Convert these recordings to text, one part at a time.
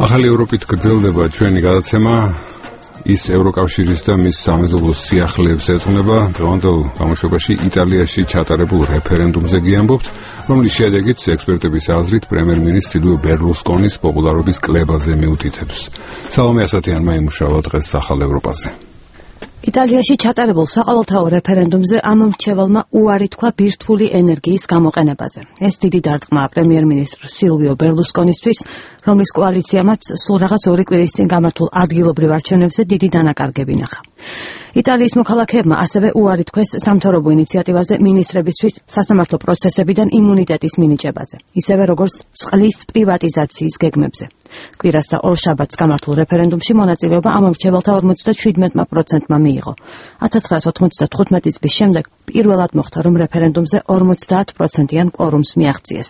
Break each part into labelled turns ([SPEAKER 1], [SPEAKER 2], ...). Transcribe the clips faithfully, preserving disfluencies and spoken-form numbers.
[SPEAKER 1] ახალი ევროპით გრძელდება ჩვენი გადაცემა ის ევროკავშირის და მის სამეზობლოს სიახლეებს ეძღვნება. დღევანდელ გამოშვებაში იტალიაში ჩატარებულ რეფერენდუმზე გიამბობთ, რომლის შედეგიც ექსპერტების აზრით პრემიერ-მინისტრ სილვიო ბერლუსკონის პოპულარობის კლებაზე მიუთითებს. სალომე ასათიანმა იმუშავა დღეს ახალ ევროპაზე.
[SPEAKER 2] იტალიაში ჩატარებულ საყოველთაო რეფერენდუმზე ამ მრჩეველმა უარი თქვა ბირთვული ენერგიის გამოყენებაზე. ეს დიდი დარტყმა პრემიერ-მინისტრ სილვიო ბერლუსკონისთვის, რომლის კოალიციამაც სულ რაღაც ორი კვირის წინ გამართულ ადგილობრივ არჩევნებზე დიდი დანაკარგები ნახა. იტალიის მოქალაქეებმა ასევე უარი თქვეს სამთავრობო ინიციატივაზე მინისტრებისთვის სასამართლო პროცესებიდან იმუნიტეტის მინიჭებაზე, ისევე როგორც წყლის პრივატიზაციის გეგმებზე. კვირას და ორ შაბათს გამართულ რეფერენდუმში მონაწილეობა ამ მრჩეველთა ორმოცდაშვიდმეტ პროცენტმა მიიღო. ათას ცხრაას ოთხმოცდათხუთმეტი წლის შემდეგ პირველად მოხდა, რომ რეფერენდუმზე ორმოცდაათ პროცენტიან კვორუმს მიაღწიეს.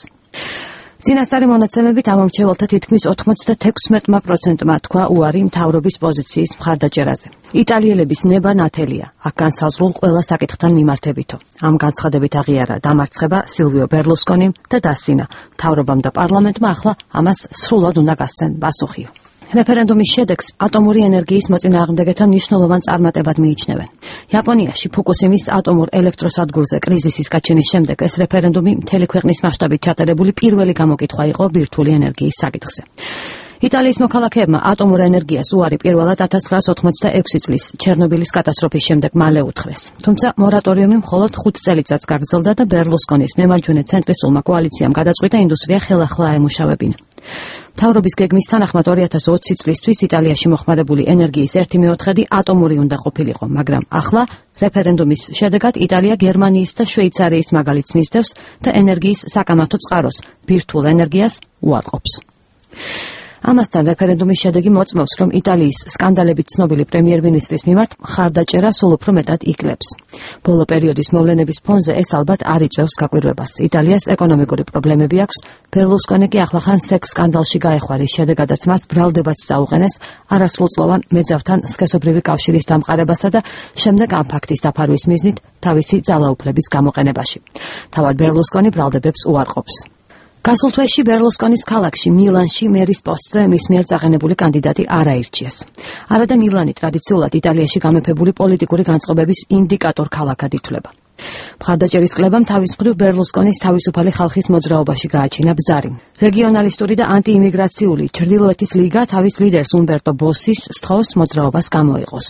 [SPEAKER 2] წინასწარი მონაცემებით ამ მრჩეველთა თითქმის ოთხმოცდათექვსმეტ პროცენტმა თქვა უარი მთავრობის პოზიციის მხარდაჭერაზე. იტალიელების ნება ნათელია, აქ განსაზღვრულ ყველა საკითხთან მიმართებითო. ამ განცხადებით აღიარა დამარცხება სილვიო ბერლუსკონიმ და დასინა მთავრობამ და პარლამენტმა ახლა ამას სრულად უნდა გასცენ პასუხიო. რეფერენდუმის შედეგს ატომური ენერგიის მოწინააღმდეგეთა მნიშვნელოვან წარმატებად მიიჩნევენ. იაპონიაში ფუკუსიმის ატომურ ელექტროსადგურზე კრიზისის გაჩენის შემდეგ ეს რეფერენდუმი მთელი ქვეყნის მასშტაბით ჩატარებული პირველი გამოკითხვა იყო ბირთვული ენერგიის საკითხზე. იტალიის მოქალაქეებმა ატომურ ენერგიას უარი პირველად ათას ცხრაას ოცდაექვსი წლის ჩერნობილის კატასტროფის შემდეგ მალე უთხრეს. თუმცა მორატორიუმი მხოლოდ ხუთ წელიწადს გაგრძელდა და ბერლუსკონის მემარჯვენე ცენტრისტულმა კოალიციამ გადაწყვიტა ინდუსტრია ხელახლა აემუშავებინა. მთავრობის გეგმის თანახმად ორი ათას ოცი წლისთვის იტალიაში მოხმარებული ენერგიის ერთი მეოთხედი ატომური უნდა ყოფილიყო, მაგრამ ახლა რეფერენდუმის შედეგად იტალია გერმანიის და შვეიცარიის მაგალითს მისდევს და ენერგიის საკამათო წყაროს ბირთვულ ენერგიას უარყოფს. ამასთან რეფერენდუმის შედეგი მოწმობს, რომ იტალიის სკანდალებით ცნობილი პრემიერ-მინისტრის მიმართ მხარდაჭერა სულ უფრო მეტად იკლებს. ბოლო პერიოდის მოვლენების ფონზე ეს ალბათ არ იწვევს გაკვირვებას. იტალიას ეკონომიკური პრობლემები აქვს, ბერლუსკონი კი ახლახან სექს სკანდალში გაეხვა, რის შედეგადაც მას ბრალდებაც საუყენეს არასრულწლოვან მეძავთან სქესობრივი კავშირის დამყარებასა და შემდეგ ამ ფაქტის დაფარვის მიზნით თავისი ძალაუფლების გამოყენებაში. თავად ბერლუსკონი ბრალდებებს უარყოფს. გასულ თვეში ბერლუსკონის ქალაქში მილანში მერის პოსტზე მის მიერ წაღენებული კანდიდატი არ აირჩიეს. არა და მილანი ტრადიციულად იტალიაში გამეფებული პოლიტიკური განწყობების ინდიკატორ ქალაქად ითვლება. მხარდაჭერის კლებამ თავის მხრივ ბერლუსკონის თავისუფალი ხალხის მოძრაობაში გააჩინა ბზარი. რეგიონალისტური და ანტიიმიგრაციული ჩრდილოეთის ლიგა თავის ლიდერს უმბერტო ბოსის სთხოვს მოძრაობას გამოიყოს.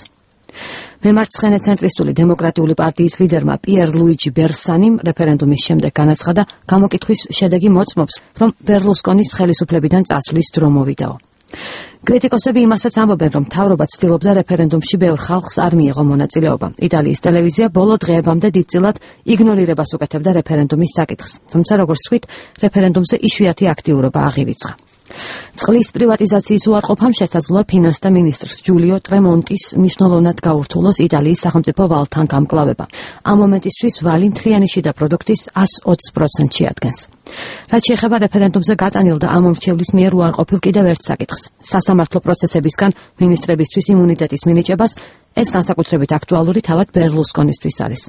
[SPEAKER 2] მემარცხენე ცენტრისტული დემოკრატიული პარტიის ლიდერმა პიერ ლუიჯი ბერსანიმ რეფერენდუმის შემდეგ განაცხადა, გამოკითხვის შედეგი მოწმობს, რომ ბერლუსკონის ხელისუფლებიდან წასვლის დრო მოვიდაო. კრიტიკოსები იმასაც ამბობენ, რომ მთავრობა ცდილობდა რეფერენდუმში ბევრ ხალხს არ მიეღო მონაწილეობა. იტალიის ტელევიზია ბოლო დღეებამდე დიდწილად იგნორირებას უკეთებდა რეფერენდუმის საკითხს, თუმცა როგორც ვთქვით, რეფერენდუმზე იშვიათი აქტიურობა აღირიცხა. წყლის პრივატიზაციის უარყოფამ შესაძლოა ფინანსთა მინისტრს ჯულიო ტრემონტის მნიშვნელოვნად გაურთულოს იტალიის სახელმწიფო ვალთან გამკლავება. ამ მომენტისთვის ვალი მთლიანი შიდა პროდუქტის ას ოცი პროცენტს შეადგენს. რაც შეეხება რეფერენდუმზე გატანილ და ამ მომრჩევლის მიერ უარყოფილ კიდევ ერთ საკითხს, სასამართლო პროცესებისგან მინისტრებისთვის იმუნიტეტის მინიჭებას, ეს განსაკუთრებით აქტუალური თავად ბერლუსკონისთვის არის.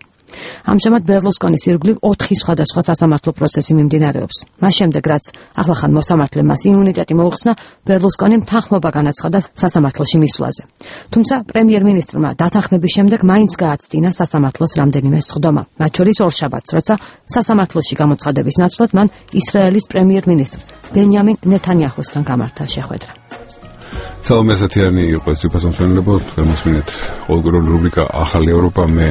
[SPEAKER 2] ამჟამად ბერლუსკონის ირგვლივ ოთხი სხვადასხვა სასამართლო პროცესი მიმდინარეობს. მას შემდეგ, რაც ახლახან მოსამართლემ მას იმუნიტეტი მოუხსნა, ბერლუსკონიმ თანხმობა განაცხადა სასამართლოში მისვლაზე. თუმცა პრემიერ-მინისტრმა დათანხმების შემდეგ მაინც გააცდინა სასამართლოს რამდენიმე სხდომა, მათ შორის ორ შაბათს, როცა სასამართლოში გამოცხადების ნაცვლად მან ისრაელის პრემიერ-მინისტრ ბენიამინ ნეთანიაჰუსთან გამართა შეხვედრა.
[SPEAKER 1] სალომე ასათიანი იყო ეს თვითმფრინავი, თქვენ მოსმინეთ ყოველგვარული რუბრიკა ახალი ევროპა, მე